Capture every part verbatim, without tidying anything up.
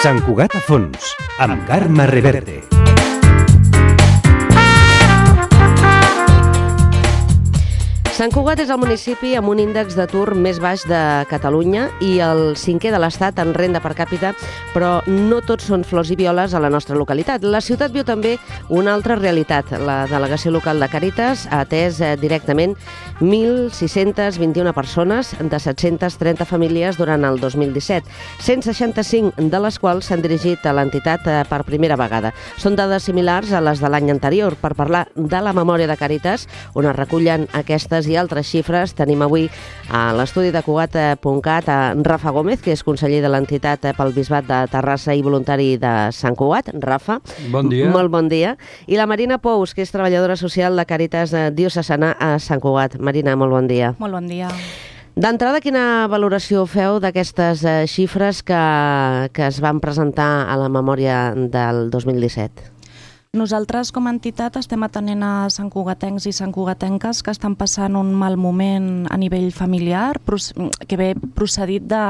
Sant Cugat a fons, amb Carme Reverte. Sant Cugat és el municipi amb un índex d'atur més baix de Catalunya i el cinquè de l'Estat en renda per càpita, però no tots són flors i violes a la nostra localitat. La ciutat viu també una altra realitat. La delegació local de Càritas ha atès directament mil sis-cents vint-i-una persones de set-cents trenta famílies durant el dos mil disset, cent seixanta-cinc de les quals s'han dirigit a l'entitat per primera vegada. Són dades similars a les de l'any anterior. Per parlar de la memòria de Càritas, on es recullen aquestes i altres xifres, tenim avui a l'estudi de Cugat punt cat a Rafa Gómez, que és conseller de l'entitat pel Bisbat de Terrassa i voluntari de Sant Cugat. Rafa, bon dia. Molt bon dia. I la Marina Pous, que és treballadora social de Càritas Diocesana a Sant Cugat. Marina, molt bon dia. Molt bon dia. D'entrada, quina valoració feu d'aquestes xifres que, que es van presentar a la memòria del dos mil disset? Nosaltres, com a entitat, estem atenent a santcugatencs i santcugatenques que estan passant un mal moment a nivell familiar, que ve procedit de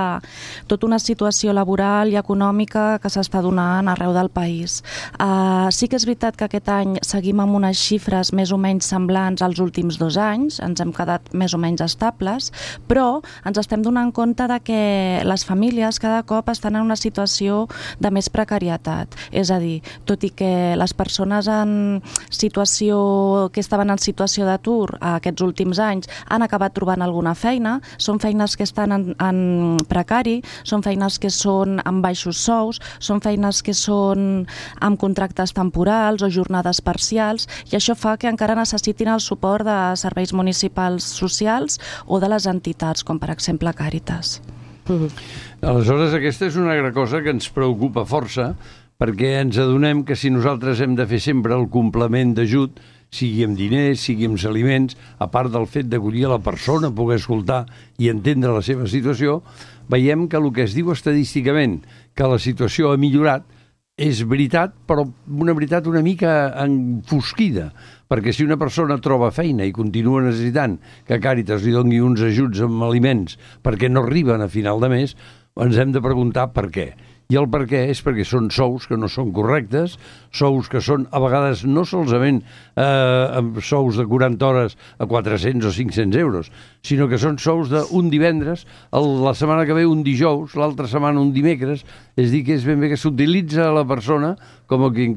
tota una situació laboral i econòmica que s'està donant arreu del país. Uh, sí que és veritat que aquest any seguim amb unes xifres més o menys semblants als últims dos anys, ens hem quedat més o menys estables, però ens estem donant compte de que les famílies cada cop estan en una situació de més precarietat. És a dir, tot i que les persones persones en situació, que estaven en situació d'atur aquests últims anys han acabat trobant alguna feina, són feines que estan en, en precari, són feines que són amb baixos sous, són feines que són amb contractes temporals o jornades parcials, i això fa que encara necessitin el suport de serveis municipals socials o de les entitats, com per exemple Càritas. Aleshores, aquesta és una altra cosa que ens preocupa força, perquè ens adonem que si nosaltres hem de fer sempre el complement d'ajut, sigui amb diners, sigui amb aliments, a part del fet d'acollir a la persona, poder escoltar i entendre la seva situació, veiem que el que es diu estadísticament, que la situació ha millorat, és veritat, però una veritat una mica enfosquida, perquè si una persona troba feina i continua necessitant que Càritas li doni uns ajuts amb aliments perquè no arriben a final de mes, ens hem de preguntar per què. I el per què és perquè són sous que no són correctes, sous que són a vegades no solament eh, amb sous de quaranta hores a quatre-cents o cinc-cents euros, sinó que són sous d'un divendres, el, la setmana que ve un dijous, l'altra setmana un dimecres, és a dir, que és ben bé que s'utilitza la persona com a qui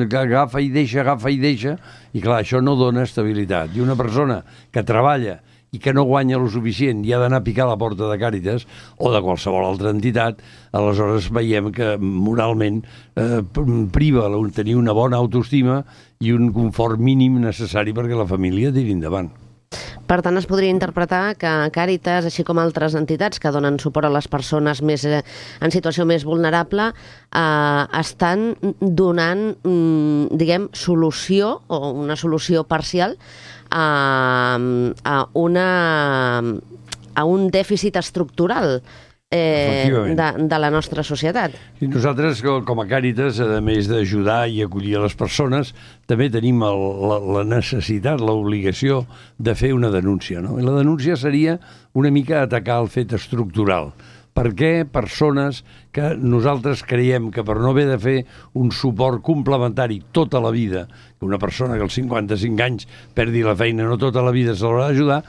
agafa i deixa, agafa i deixa, i clar, això no dona estabilitat. I una persona que treballa i que no guanya lo suficient i ha d'anar a picar a la porta de Càritas o de qualsevol altra entitat, aleshores veiem que moralment eh, priva tenir una bona autoestima i un confort mínim necessari perquè la família tiri endavant. Per tant, es podria interpretar que Càritas, així com altres entitats que donen suport a les persones més en situació més vulnerable, eh, estan donant, diguem, solució o una solució parcial a, a, una, a un dèficit estructural eh, de, de la nostra societat. I nosaltres, com a Càritas, a més d'ajudar i acollir a les persones, també tenim el, la, la necessitat, l'obligació de fer una denúncia, no? I la denúncia seria una mica atacar el fet estructural. Per què persones que nosaltres creiem que per no haver de fer un suport complementari tota la vida, que una persona que als cinquanta-cinc anys perdi la feina, no tota la vida se l'haurà d'ajudar,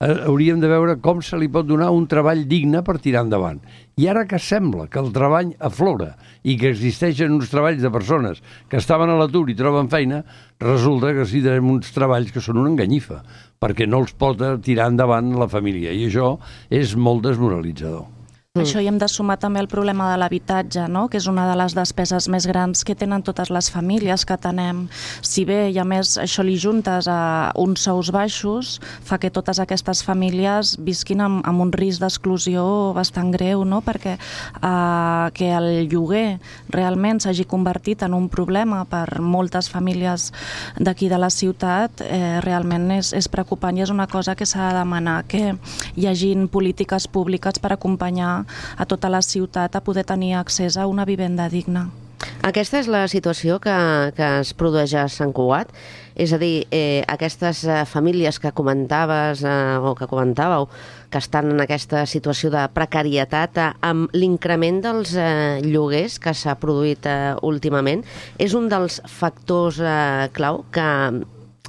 eh, hauríem de veure com se li pot donar un treball digne per tirar endavant. I ara que sembla que el treball aflora i que existeixen uns treballs de persones que estaven a l'atur i troben feina, resulta que sí tenim uns treballs que són una enganyifa, perquè no els pot tirar endavant la família, i això és molt desmoralitzador. Això hi hem de sumar també el problema de l'habitatge, no? Que és una de les despeses més grans que tenen totes les famílies que tenem. Si bé, i a més, això li juntes a uns sous baixos, fa que totes aquestes famílies visquin amb, amb un risc d'exclusió bastant greu, no? Perquè eh, que el lloguer realment s'hagi convertit en un problema per moltes famílies d'aquí de la ciutat, eh, realment és, és preocupant i és una cosa que s'ha de demanar, que hi hagin polítiques públiques per acompanyar a tota la ciutat a poder tenir accés a una vivenda digna. Aquesta és la situació que, que es produeix a Sant Cugat? És a dir, eh, aquestes eh, famílies que comentaves eh, o que comentàveu que estan en aquesta situació de precarietat eh, amb l'increment dels eh, lloguers que s'ha produït eh, últimament, és un dels factors eh, clau que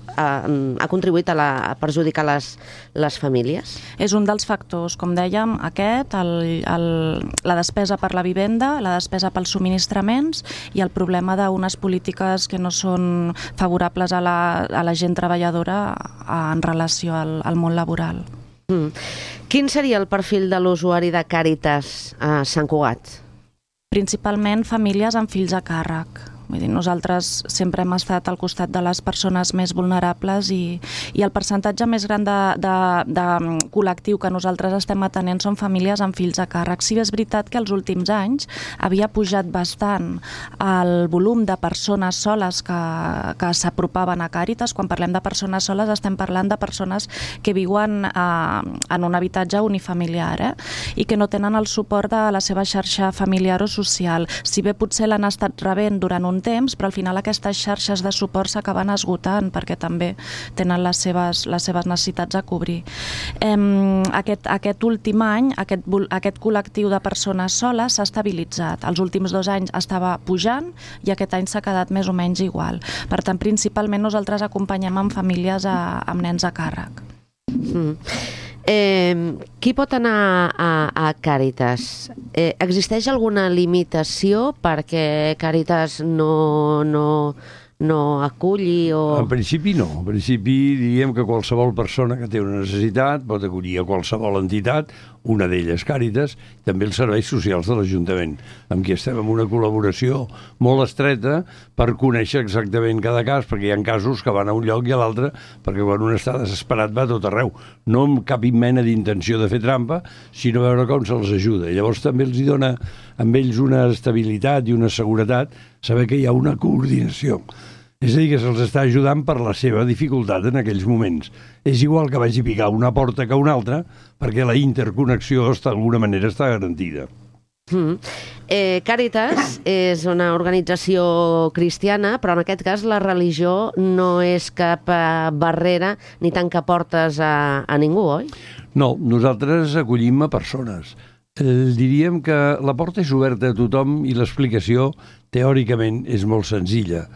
ha, ha contribuït a, la, a perjudicar les, les famílies? És un dels factors, com dèiem, aquest, el, el, la despesa per la vivenda, la despesa pels subministraments i el problema d'unes polítiques que no són favorables a la, a la gent treballadora en relació al, al món laboral. Mm. Quin seria el perfil de l'usuari de Càritas a Sant Cugat? Principalment famílies amb fills a càrrec. Vull dir, nosaltres sempre hem estat al costat de les persones més vulnerables i, i el percentatge més gran de, de, de col·lectiu que nosaltres estem atenent són famílies amb fills a càrrec. Sí, és veritat que els últims anys havia pujat bastant el volum de persones soles que, que s'apropaven a Càritas. Quan parlem de persones soles estem parlant de persones que viuen eh, en un habitatge unifamiliar eh? I que no tenen el suport de la seva xarxa familiar o social. Si bé potser l'han estat rebent durant un temps, però al final aquestes xarxes de suport s'acaben esgotant perquè també tenen les seves, les seves necessitats a cobrir. Eh, aquest, aquest últim any, aquest, aquest col·lectiu de persones soles s'ha estabilitzat. Els últims dos anys estava pujant i aquest any s'ha quedat més o menys igual. Per tant, principalment nosaltres acompanyem amb famílies a, amb nens a càrrec. Mm. Eh, qui pot anar a, a Càritas? Eh, existeix alguna limitació perquè Càritas no, no, no aculli o... En principi no. En principi diríem que qualsevol persona que té una necessitat pot acollir a qualsevol entitat, una d'elles Càritas, també els serveis socials de l'Ajuntament, amb qui estem en una col·laboració molt estreta per conèixer exactament cada cas, perquè hi ha casos que van a un lloc i a l'altre, perquè quan un està desesperat va a tot arreu, no amb cap mena d'intenció de fer trampa, sinó veure com se'ls ajuda. I llavors també els hi dona amb ells una estabilitat i una seguretat saber que hi ha una coordinació. És a dir, que se'ls està ajudant per la seva dificultat en aquells moments. És igual que vagi a picar una porta que una altra, perquè la interconnexió d'alguna manera està garantida. Mm. Eh, Càritas és una organització cristiana, però en aquest cas la religió no és cap eh, barrera ni tanca portes a, a ningú, oi? No, nosaltres acollim a persones. Eh, diríem que la porta és oberta a tothom i l'explicació, teòricament, és molt senzilla.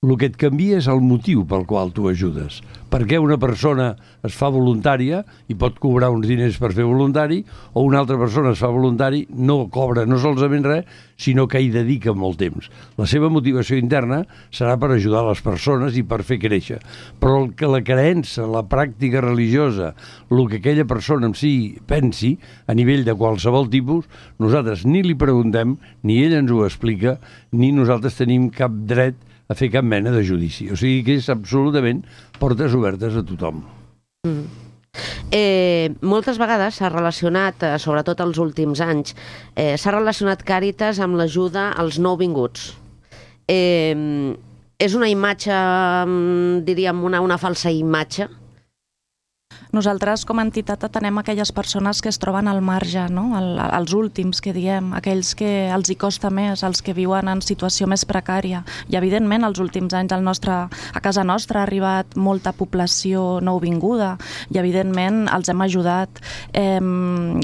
El que et canvia és el motiu pel qual tu ajudes. Per què una persona es fa voluntària i pot cobrar uns diners per fer voluntari, o una altra persona es fa voluntari, no cobra no solament res, sinó que hi dedica molt temps. La seva motivació interna serà per ajudar les persones i per fer créixer. Però el que la creença, la pràctica religiosa, el que aquella persona en si pensi, a nivell de qualsevol tipus, nosaltres ni li preguntem, ni ell ens ho explica, ni nosaltres tenim cap dret a fer cap mena de judici. O sigui que és absolutament portes obertes a tothom. Mm. Eh, moltes vegades s'ha relacionat, eh, sobretot els últims anys, eh, s'ha relacionat Càritas amb l'ajuda als nouvinguts. Eh, és una imatge, diríem, una, una falsa imatge? Nosaltres, com a entitat, atenem aquelles persones que es troben al marge, no? El, els últims, que diem, aquells que els hi costa més, els que viuen en situació més precària. I, evidentment, els últims anys al nostre, a casa nostra ha arribat molta població nouvinguda i, evidentment, els hem ajudat. Eh,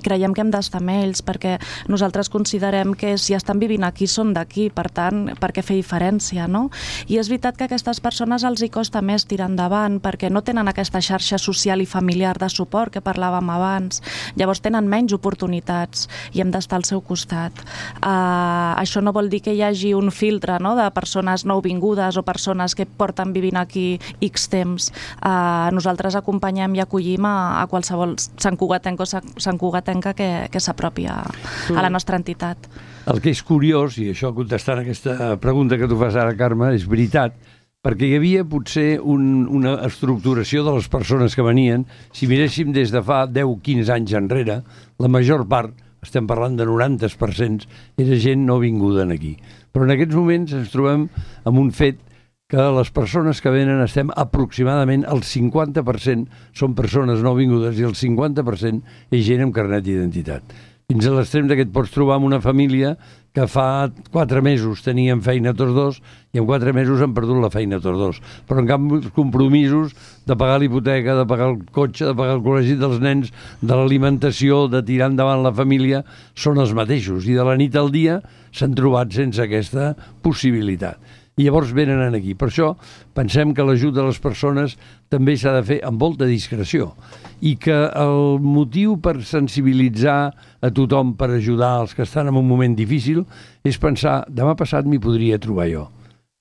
creiem que hem d'estar amb ells perquè nosaltres considerem que si estan vivint aquí són d'aquí, per tant, per què fer diferència, no? I és veritat que a aquestes persones els hi costa més tirar endavant perquè no tenen aquesta xarxa social i familiar de suport que parlàvem abans. Llavors tenen menys oportunitats i hem d'estar al seu costat. Uh, això no vol dir que hi hagi un filtre, no?, de persones nouvingudes o persones que porten vivint aquí X temps. Uh, nosaltres acompanyem i acollim a, a qualsevol santcugatenc o santcugatenca que, que s'apropi a, a la nostra entitat. El que és curiós, i això contestant aquesta pregunta que tu fas ara, Carme, és veritat, perquè hi havia potser un, una estructuració de les persones que venien. Si miréssim des de fa deu a quinze anys enrere, la major part, estem parlant de noranta per cent, era gent no vinguda aquí. Però en aquests moments ens trobem amb un fet que les persones que venen estem aproximadament el cinquanta per cent són persones no vingudes i el cinquanta per cent és gent amb carnet d'identitat. fins a l'extrem que et pots trobar amb una família que fa quatre mesos tenien feina tots dos i en quatre mesos han perdut la feina tots dos. Però en canvi els compromisos de pagar l'hipoteca, de pagar el cotxe, de pagar el col·legi dels nens, de l'alimentació, de tirar endavant la família, són els mateixos. I de la nit al dia s'han trobat sense aquesta possibilitat. I llavors venen aquí. Per això pensem que l'ajut de les persones també s'ha de fer amb molta discreció i que el motiu per sensibilitzar a tothom, per ajudar els que estan en un moment difícil, és pensar, demà passat m'hi podria trobar jo.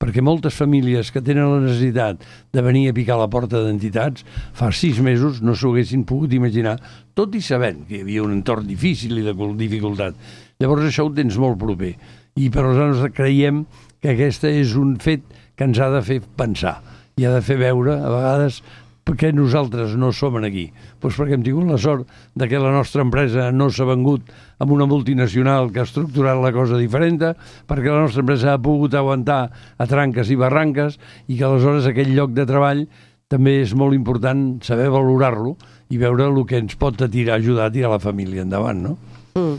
Perquè moltes famílies que tenen la necessitat de venir a picar a la porta d'entitats fa sis mesos no s'ho haguessin pogut imaginar, tot i sabent que hi havia un entorn difícil i de dificultat. Llavors això ho tens molt proper. I per nosaltres creiem que aquest és un fet que ens ha de fer pensar i ha de fer veure, a vegades, perquè nosaltres no som aquí. Doncs perquè hem tingut la sort de que la nostra empresa no s'ha vengut amb una multinacional que ha estructurat la cosa diferent, perquè la nostra empresa ha pogut aguantar a tranques i barranques i que aleshores aquell lloc de treball també és molt important saber valorar-lo i veure el que ens pot tirar, ajudar a tirar la família endavant, no? Mm.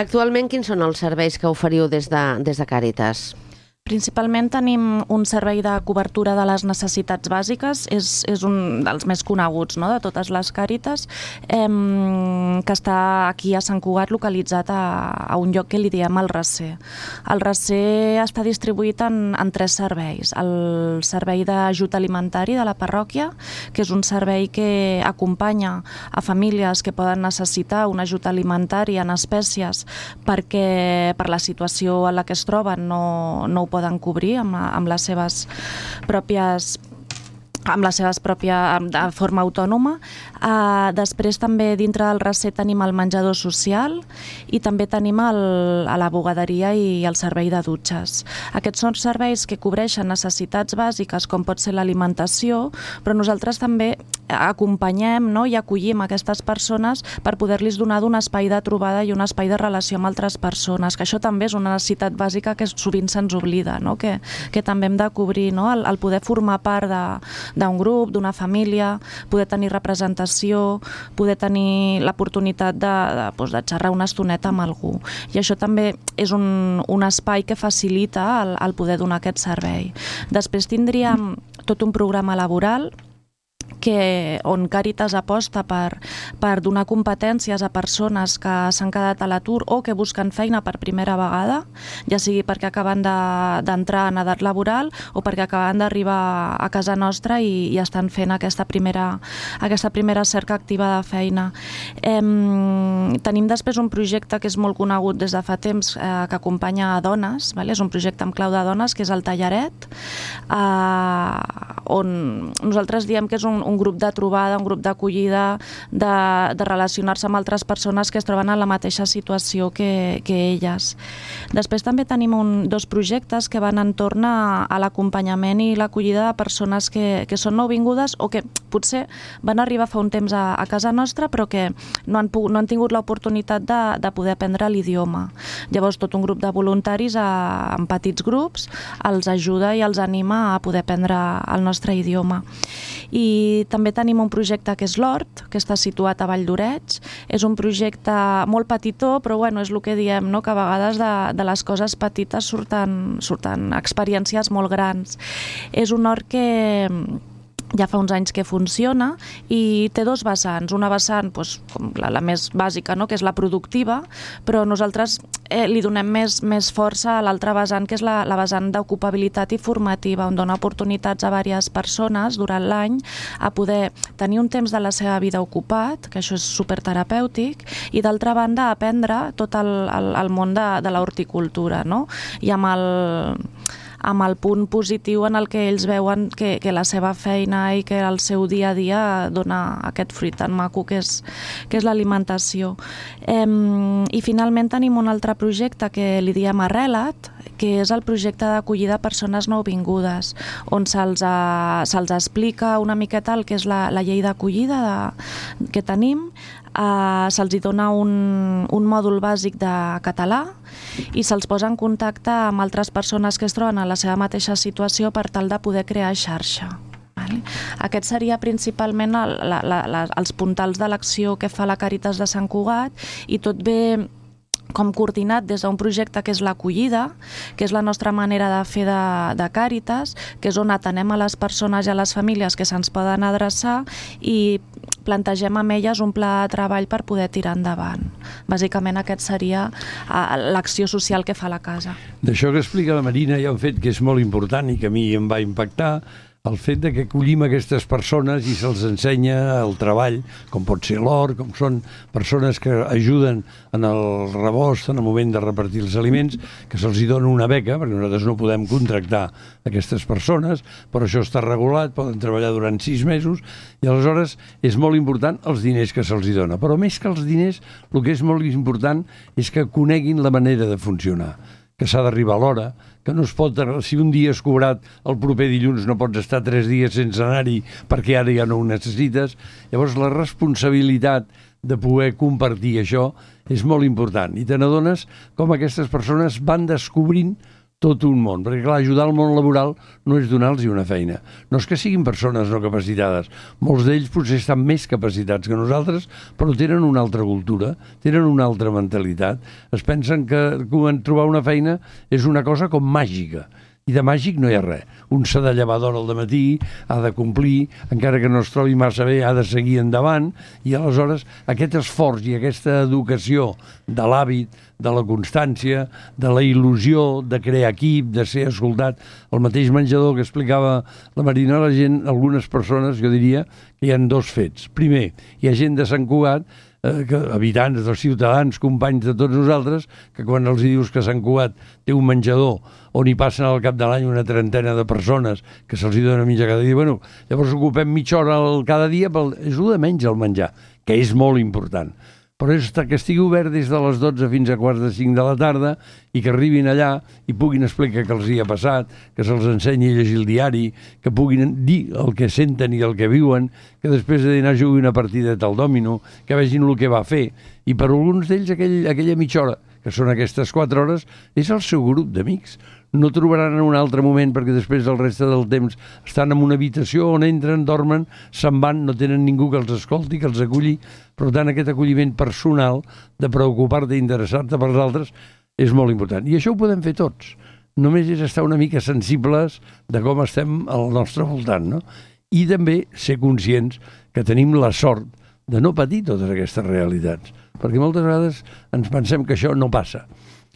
Actualment, quins són els serveis que oferiu des de, des de Càritas? Principalment tenim un servei de cobertura de les necessitats bàsiques, és, és un dels més coneguts, no?, de totes les Càritas, eh, que està aquí a Sant Cugat, localitzat a, a un lloc que li diem el Recer. El Recer està distribuït en, en tres serveis. El servei d'ajut alimentari de la parròquia, que és un servei que acompanya a famílies que poden necessitar un ajut alimentari en espècies perquè per la situació en la que es troben no, no ho poden cobrir amb, amb les seves pròpies amb les seves pròpies, de forma autònoma. Uh, després també dintre del Recer tenim el menjador social i també tenim el, a la bugaderia i el servei de dutxes. Aquests són serveis que cobreixen necessitats bàsiques com pot ser l'alimentació, però nosaltres també acompanyem, no?, i acollim aquestes persones per poder-los donar d'un espai de trobada i un espai de relació amb altres persones, que això també és una necessitat bàsica que sovint se'ns oblida, no?, que, que també hem de cobrir, no?, el, el poder formar part de d'un grup, d'una família, poder tenir representació, poder tenir l'oportunitat de, de, doncs, de xerrar una estoneta amb algú. I això també és un, un espai que facilita el, el poder donar aquest servei. Després tindríem tot un programa laboral que, on Càritas aposta per, per donar competències a persones que s'han quedat a l'atur o que busquen feina per primera vegada, ja sigui perquè acaben d'entrar de, en edat laboral o perquè acaben d'arribar a casa nostra i, i estan fent aquesta primera, aquesta primera cerca activa de feina. Eh, tenim després un projecte que és molt conegut des de fa temps, eh, que acompanya a dones, vale? És un projecte amb clau de dones, que és el Tallaret, eh, on nosaltres diem que és un un grup de trobada, un grup d'acollida, de, de relacionar-se amb altres persones que es troben en la mateixa situació que, que elles. Després també tenim un, dos projectes que van entorn a, a l'acompanyament i l'acollida de persones que, que són nouvingudes o que potser van arribar fa un temps a, a casa nostra però que no han, no han tingut l'oportunitat de, de poder aprendre l'idioma. Llavors tot un grup de voluntaris a, en petits grups els ajuda i els anima a poder aprendre el nostre idioma. I també tenim un projecte que és l'Hort, que està situat a Vall d'Oreig. És un projecte molt petitó, però bueno, és el que diem, no?, que a vegades de, de les coses petites surten, surten experiències molt grans. És un hort que ja fa uns anys que funciona i té dos vessants. Una vessant, doncs, com la, la més bàsica, no?, que és la productiva, però nosaltres eh, li donem més, més força a l'altra vessant, que és la, la vessant d'ocupabilitat i formativa, on dona oportunitats a diverses persones durant l'any a poder tenir un temps de la seva vida ocupat, que això és superterapèutic, i d'altra banda aprendre tot el, el, el món de, de l'horticultura, no?, i amb el amb el punt positiu en el que ells veuen que, que la seva feina i que el seu dia a dia dona aquest fruit tan maco que és, que és l'alimentació. Eh, I finalment tenim un altre projecte que li diem Arrelat, que és el projecte d'acollida a persones nouvingudes, on se'ls se'ls explica una miqueta el que és la, la llei d'acollida de, que tenim. Uh, se'ls dona un, un mòdul bàsic de català i se'ls posa en contacte amb altres persones que es troben en la seva mateixa situació per tal de poder crear xarxa. Vale? Aquest seria principalment el, la, la, la, els puntals de l'acció que fa la Càritas de Sant Cugat, i tot ve com coordinat des d'un projecte que és l'acollida, que és la nostra manera de fer de, de Càritas, que és on atenem a les persones i a les famílies que se'ns poden adreçar i plantegem amb elles un pla de treball per poder tirar endavant. Bàsicament aquest seria l'acció social que fa la casa. D'això que explica la Marina hi ha un fet que és molt important i que a mi em va impactar, el fet de que acollim aquestes persones i se'ls ensenya el treball, com pot ser l'hort, com són persones que ajuden en el rebost, en el moment de repartir els aliments, que se'ls dona una beca, perquè nosaltres no podem contractar aquestes persones, però això està regulat, poden treballar durant sis mesos, i aleshores és molt important els diners que se'ls dona. Però més que els diners, el que és molt important és que coneguin la manera de funcionar, que s'ha d'arribar a l'hora, que no es pot, si un dia has cobrat el proper dilluns no pots estar tres dies sense anar-hi perquè ara ja no ho necessites. Llavors la responsabilitat de poder compartir això és molt important i te n'adones com aquestes persones van descobrint tot un món, perquè clar, ajudar al món laboral no és donar-los una feina. No és que siguin persones no capacitades. Molts d'ells potser estan més capacitats que nosaltres, però tenen una altra cultura, tenen una altra mentalitat. Es pensen que trobar una feina és una cosa com màgica. I de màgic no hi ha res. Un s'ha de llevar d'hora al dematí, ha de complir, encara que no es trobi massa bé, ha de seguir endavant, i aleshores aquest esforç i aquesta educació de l'hàbit, de la constància, de la il·lusió, de crear equip, de ser escoltat, el mateix menjador que explicava la Marina, la gent, algunes persones, jo diria que hi ha dos fets. Primer, hi ha gent de Sant Cugat, eh, que, habitants, dels ciutadans, companys de tots nosaltres, que quan els dius que Sant Cugat té un menjador on hi passen al cap de l'any una trentena de persones que se'ls dona mitja cada dia, bueno, llavors ocupem mitja hora cada dia, però és un de menys el menjar, que és molt important. Però és que estigui obert des de les dotze fins a quarts de cinc de la tarda i que arribin allà i puguin explicar què els hi ha passat, que se'ls ensenyi a llegir el diari, que puguin dir el que senten i el que viuen, que després de dinar jugui una partideta al dòmino, que vegin el que va fer. I per alguns d'ells aquell, aquella mitja hora, que són aquestes quatre hores, és el seu grup d'amics. No trobaran en un altre moment perquè després del reste del temps estan en una habitació on entren, dormen, se'n van, no tenen ningú que els escolti, que els aculli. Per tant, aquest acolliment personal de preocupar-te i interessar-te pels altres és molt important. I això ho podem fer tots. Només és estar una mica sensibles de com estem al nostre voltant, no? I també ser conscients que tenim la sort de no patir totes aquestes realitats, perquè moltes vegades ens pensem que això no passa.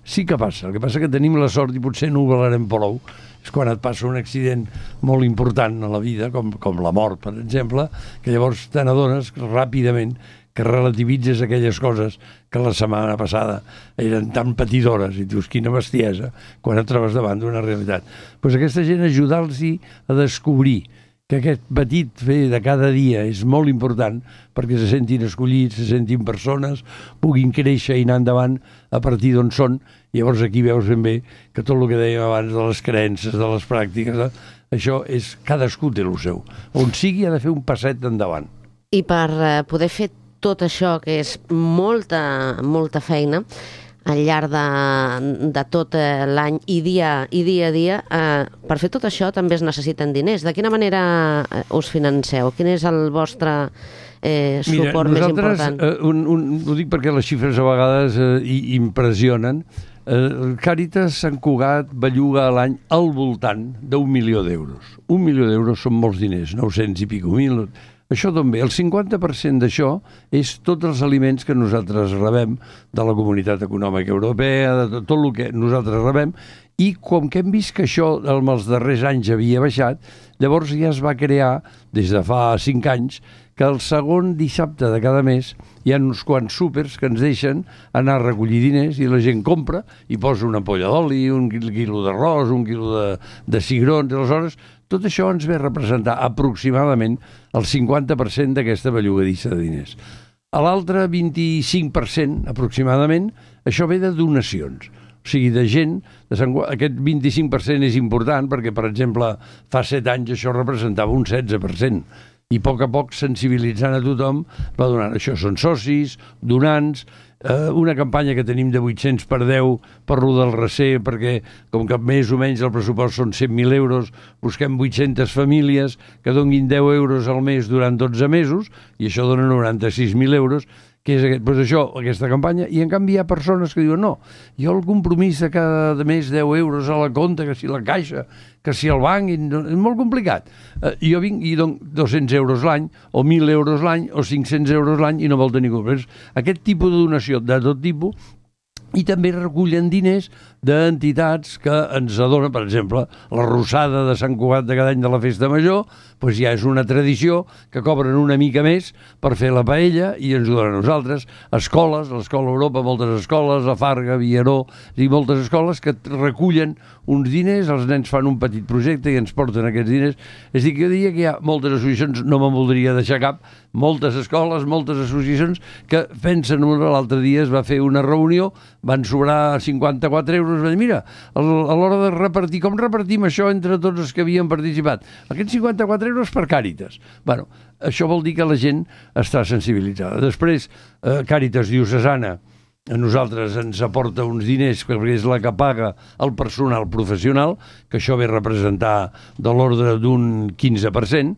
Sí que passa, el que passa que tenim la sort i potser no ho valerem prou, és quan et passa un accident molt important a la vida, com, com la mort, per exemple, que llavors te n'adones ràpidament que relativitzes aquelles coses que la setmana passada eren tan patidores i dius, quina bestiesa, quan et trobes davant d'una realitat. Doncs aquesta gent ajudar-los a descobrir que aquest petit fer de cada dia és molt important perquè se sentin escollits, se sentin persones, puguin créixer i anar endavant a partir d'on són. Llavors aquí veus ben bé que tot el que dèiem abans de les creences, de les pràctiques, eh? Això és, cadascú té el seu. On sigui ha de fer un passet endavant. I per eh, poder fer tot això, que és molta, molta feina, al llarg de, de tot l'any i dia, i dia a dia, eh, per fer tot això també es necessiten diners. De quina manera us financeu? Quin és el vostre eh, suport Mira, més important? Eh, un, un, ho dic perquè les xifres a vegades eh, impressionen. Eh, Càritas Sant Cugat belluga a l'any al voltant d'un milió d'euros. Un milió d'euros són molts diners, nou-cents i pico mil. Això d'on ve? El cinquanta per cent d'això és tots els aliments que nosaltres rebem de la Comunitat Econòmica Europea, de tot, tot el que nosaltres rebem, i com que hem vist que això en els darrers anys havia baixat, llavors ja es va crear, des de fa cinc anys, que el segon dissabte de cada mes hi ha uns quants súpers que ens deixen anar a recollir diners i la gent compra i posa una ampolla d'oli, un quilo d'arròs, un quilo de, de cigrons, aleshores tot això ens ve a representar aproximadament el cinquanta per cent d'aquesta bellugadissa de diners. A l'altre vint-i-cinc per cent aproximadament, això ve de donacions. O sigui, de gent, de Sant... aquest vint-i-cinc per cent és important perquè, per exemple, fa set anys això representava un setze per cent. i a poc a poc sensibilitzant a tothom va donant. Això són socis, donants, eh, una campanya que tenim de vuit-cents per deu per lo del recer, perquè com que més o menys el pressupost són cent mil euros, busquem vuit-centes famílies que donguin deu euros al mes durant dotze mesos, i això dona noranta-sis mil euros, que és aquest, doncs això, aquesta campanya, i en canvi hi ha persones que diuen no, jo el compromís de cada mes deu euros a la compta, que si la caixa, que si el banc, és molt complicat. Eh, jo vinc i dono dos-cents euros l'any, o mil euros l'any, o cinc-cents euros l'any, i no vol tenir compromís. Aquest tipus de donació de tot tipus, i també recullen diners d'entitats que ens adonen, per exemple, la Rosada de Sant Cugat de cada any de la Festa Major, doncs ja és una tradició que cobren una mica més per fer la paella i ens ho donen a nosaltres. Escoles, l'Escola Europa, moltes escoles, a Farga, Vieró, i moltes escoles que recullen uns diners, els nens fan un petit projecte i ens porten aquests diners. És a dir, que jo diria que hi ha moltes associacions, no me'n voldria deixar cap, moltes escoles, moltes associacions que pensen, l'altre dia es va fer una reunió, van sobrar cinquanta-quatre euros, va dir, mira, a l'hora de repartir, com repartim això entre tots els que havien participat? Aquests cinquanta-quatre euros per Càritas. Bueno, això vol dir que la gent està sensibilitzada. Després, eh, Càritas Diocesana, a nosaltres ens aporta uns diners perquè és la que paga el personal professional, que això ve a representar de l'ordre d'un quinze per cent,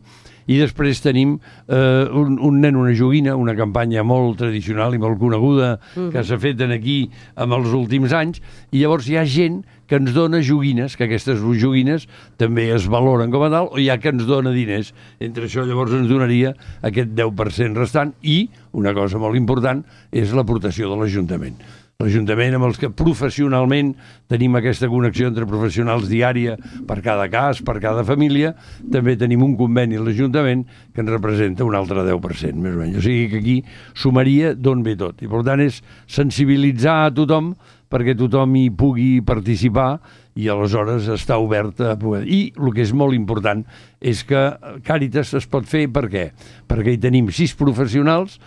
i després tenim eh, un, un nen, una joguina, una campanya molt tradicional i molt coneguda uh-huh. que s'ha fet aquí en els últims anys, i llavors hi ha gent que ens dona joguines, que aquestes joguines també es valoren com a tal, o hi ha que ens dona diners. Entre això llavors ens donaria aquest deu per cent restant, i una cosa molt important és l'aportació de l'Ajuntament. L'Ajuntament, amb els que professionalment tenim aquesta connexió entre professionals diària per cada cas, per cada família, també tenim un conveni a l'Ajuntament que ens representa un altre deu per cent, més o menys. O sigui que aquí sumaria d'on ve tot. I per tant és sensibilitzar a tothom perquè tothom hi pugui participar i aleshores està obert a poder. I el que és molt important és que Càritas es pot fer per què? Perquè hi tenim sis professionals,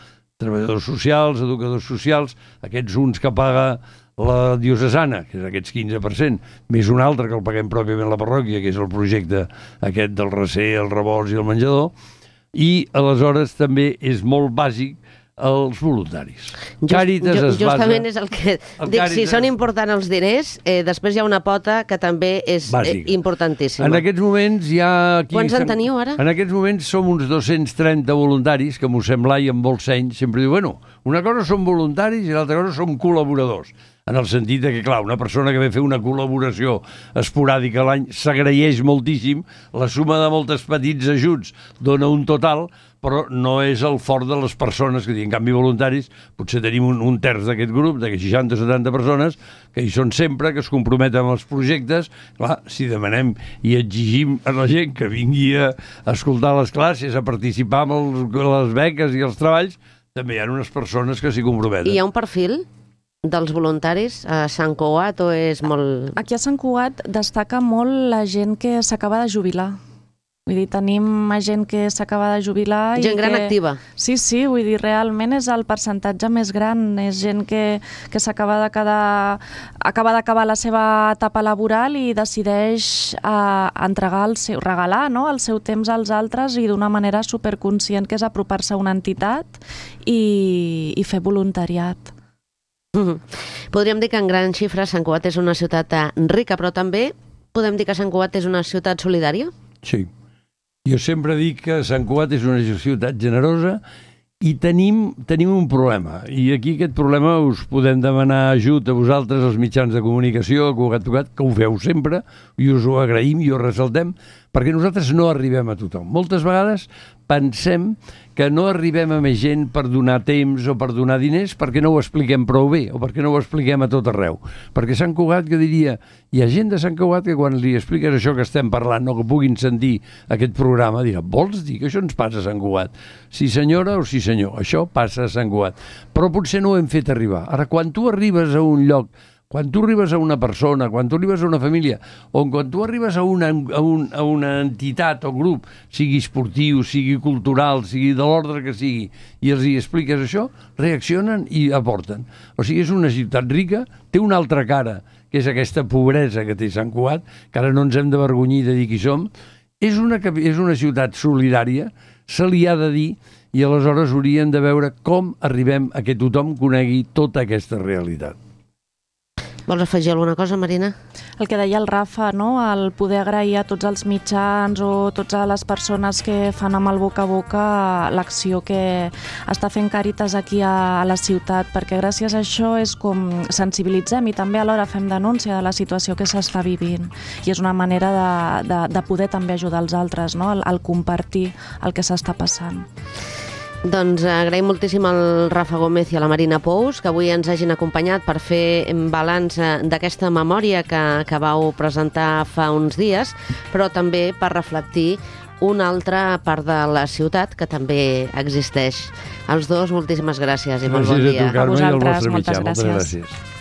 treballadors socials, educadors socials, aquests uns que paga la diocesana, que és aquests quinze per cent, més un altre que el paguem pròpiament la parròquia, que és el projecte aquest del recer, el rebost i el menjador, i aleshores també és molt bàsic els voluntaris. Just, Càritas just, es basa... Justament és el que el dic, Càritas... si són importants els diners, eh, després hi ha una pota que també és eh, importantíssima. En aquests moments hi ha... Aquí, Quants en teniu ara? En aquests moments som uns dos-cents trenta voluntaris, que m'ho sembla i amb molt seny, sempre diu, bueno, una cosa som voluntaris i l'altra cosa som col·laboradors. En el sentit que, clar, una persona que ve a fer una col·laboració esporàdica a l'any s'agraeix moltíssim, la suma de moltes petits ajuts dona un total, però no és el fort de les persones que, en canvi, voluntaris, potser tenim un, un terç d'aquest grup, de seixanta o setanta persones, que hi són sempre, que es comprometen amb els projectes. Clar, si demanem i exigim a la gent que vingui a escoltar les classes, a participar amb els, les beques i els treballs, també hi ha unes persones que s'hi comprometen. I hi ha un perfil dels voluntaris a Sant Cugat o és molt... Aquí a Sant Cugat destaca molt la gent que s'acaba de jubilar. Vull dir, tenim gent que s'acaba de jubilar... Gent i gran que... activa. Sí, sí, vull dir, realment és el percentatge més gran. És gent que, que s'acaba de quedar... acaba d'acabar la seva etapa laboral i decideix eh, entregar el seu... regalar, no?, el seu temps als altres i d'una manera superconscient, que és apropar-se a una entitat i, i fer voluntariat. Mm-hmm. Podríem dir que en grans xifres Sant Cugat és una ciutat rica, però també podem dir que Sant Cugat és una ciutat solidària? Sí. Jo sempre dic que Sant Cugat és una ciutat generosa i tenim, tenim un problema. I aquí aquest problema us podem demanar ajut a vosaltres, els mitjans de comunicació, a Cugat Cugat, que ho feu sempre, i us ho agraïm i ho ressaltem, perquè nosaltres no arribem a tothom. Moltes vegades pensem que no arribem a més gent per donar temps o per donar diners perquè no ho expliquem prou bé o perquè no ho expliquem a tot arreu. Perquè Sant Cugat, que diria, hi ha gent de Sant Cugat que quan li expliques això que estem parlant, no, que puguin sentir aquest programa, dirà, vols dir que això ens passa a Sant Cugat? Sí senyora o sí senyor, això passa a Sant Cugat. Però potser no ho hem fet arribar. Ara, quan tu arribes a un lloc, quan tu arribes a una persona, quan tu arribes a una família, o quan tu arribes a una, a un, a una entitat o grup, sigui esportiu, sigui cultural, sigui de l'ordre que sigui, i els hi expliques això, reaccionen i aporten. O sigui, és una ciutat rica, té una altra cara, que és aquesta pobresa que té Sant Cugat, que ara no ens hem d'avergonyir de dir qui som. És una, és una ciutat solidària, se li ha de dir, i aleshores hauríem de veure com arribem a que tothom conegui tota aquesta realitat. Vols afegir alguna cosa, Marina? El que deia el Rafa, no? El poder agrair a tots els mitjans o totes les persones que fan amb el boca a boca l'acció que està fent Càritas aquí a, a la ciutat, perquè gràcies a això és com sensibilitzem i també alhora fem denúncia de la situació que s'està vivint. I és una manera de, de, de poder també ajudar els altres, no? El, el compartir el que s'està passant. Doncs agraïm moltíssim al Rafa Gómez i a la Marina Pous que avui ens hagin acompanyat per fer balanç d'aquesta memòria que, que vau presentar fa uns dies, però també per reflectir una altra part de la ciutat que també existeix. Els dos, moltíssimes gràcies i molt bon dia. Gràcies a tu, Carme, i al vostre moltes mitjà. Moltes gràcies. gràcies.